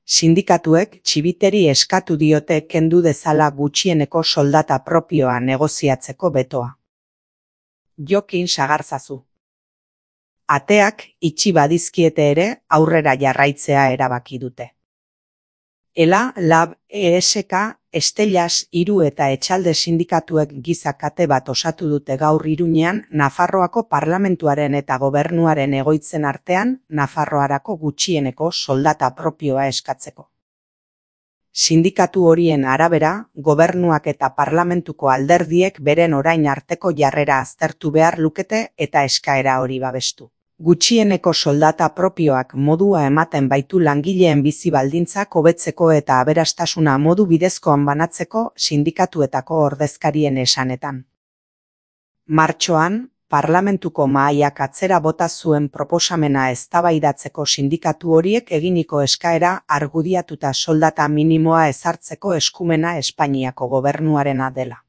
Sindikatuek txibiteri eskatu diote kendu dezala gutxieneko soldata propioa negoziatzeko betoa. Jokin sagarzazu. Ateak itxi badizkiete ere aurrera jarraitzea erabaki dute. ELA, LAB, ESK, Estellas, Hiru eta Etxalde sindikatuek giza kate bat osatu dute gaur Iruñean Nafarroako parlamentuaren eta gobernuaren egoitzen artean Nafarroarako gutxieneko soldata propioa eskatzeko. Sindikatu horien arabera, gobernuak eta parlamentuko alderdiek beren orain arteko jarrera aztertu behar lukete eta eskaera hori babestu. Gutxieneko soldata propioak modua ematen baitu langileen bizi baldintzak hobetzeko eta aberastasuna modu bidezkoan banatzeko sindikatuetako ordezkarien esanetan. Martxoan, parlamentuko mahaiak atzera bota zuen proposamena eztabaidatzeko sindikatu horiek eginiko eskaera argudiatuta soldata minimoa ezartzeko eskumena Espainiako gobernuarena dela.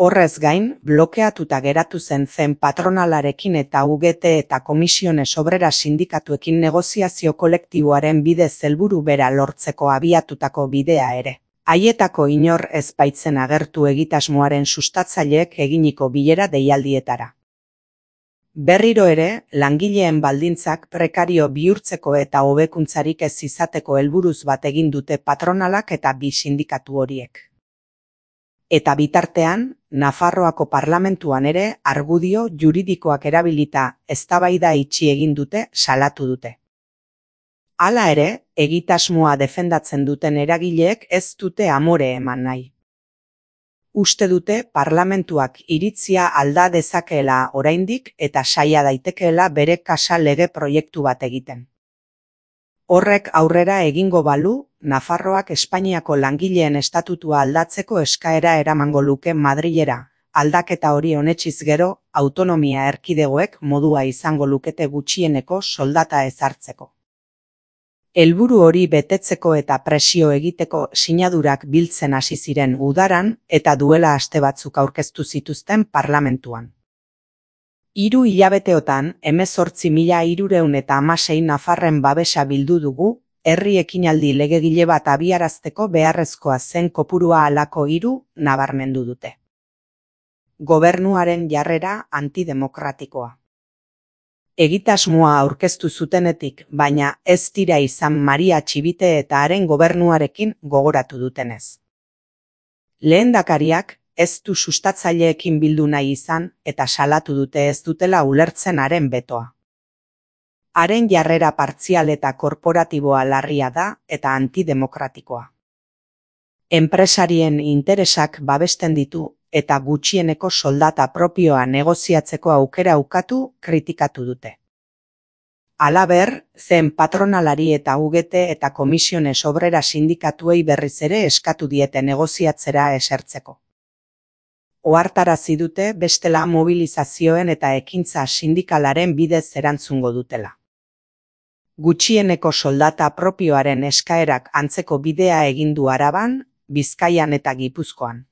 Horrez gain, blokeatuta geratu zen patronalarekin eta UGT eta Komisiones Obreras sindikatuekin negoziazio kolektiboaren bidez helburu bera lortzeko abiatutako bidea ere. Haietako inor ez baitzen agertu egitasmoaren sustatzaileek eginiko bilera deialdietara. Berriro ere, langileen baldintzak prekario bihurtzeko eta hobekuntzarik ez izateko helburuz bat egin dute patronalak eta bi sindikatu horiek. Eta bitartean, Nafarroako parlamentuan ere argudio juridikoak erabilita eztabaida itxi egin dute salatu dute. Hala ere, egitasmoa defendatzen duten eragileek ez dute amore eman nahi. Uste dute parlamentuak iritzia alda dezakeela oraindik eta saia daitekeela bere kasa lege proiektu bat egiten. Horrek aurrera egingo balu, Nafarroak Espainiako langileen estatutua aldatzeko eskaera eramango luke Madrilera, aldaketa hori onetsiz gero, autonomia erkidegoek modua izango lukete gutxieneko soldata ezartzeko. Helburu hori betetzeko eta presio egiteko sinadurak biltzen hasi ziren udaran eta duela aste batzuk aurkeztu zituzten parlamentuan. 3 hilabeteotan 18.316 nafarren babesa bildu dugu, herri ekinaldi legegile bat abiarazteko beharrezkoa zen kopurua halako 3 nabarmendu dute. Gobernuaren jarrera antidemokratikoa. Egitasmoa aurkeztu zutenetik, baina ez dira izan Maria Txibite eta haren gobernuarekin gogoratu dutenez. Lehendakariak ez du sustatzaileekin bildu nahi izan eta salatu dute ez dutela ulertzen haren betoa. Haren jarrera partzial eta korporatiboa larria da eta antidemokratikoa. Enpresarien interesak babesten ditu eta gutxieneko soldata propioa negoziatzeko aukera ukatu kritikatu dute. Halaber, zen patronalari eta UGT eta Komisiones Obreras sindikatuei berriz ere eskatu diete negoziatzera esertzeko. Ohartarazi dute bestela mobilizazioen eta ekintza sindikalaren bidez erantzungo dutela. Gutxieneko soldata propioaren eskaerak antzeko bidea egin du Araban, Bizkaian eta Gipuzkoan.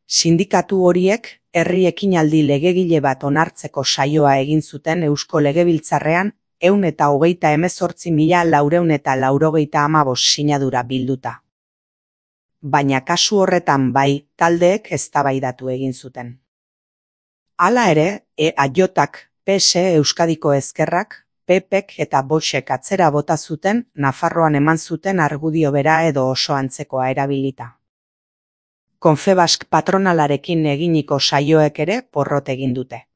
Sindikatu horiek herri ekinaldi legegile bat onartzeko saioa egin zuten Eusko Legebiltzarrean 128.495 sinadura bilduta. Baina kasu horretan bai, taldeek eztabaidatu egin zuten. Hala ere, EAJak, PS Euskadiko Ezkerrak, PPek eta Voxek atzera bota zuten Nafarroan eman zuten argudio bera edo oso antzekoa erabilita. Confebask patronalarekin eginiko saioek ere porrot egin dute.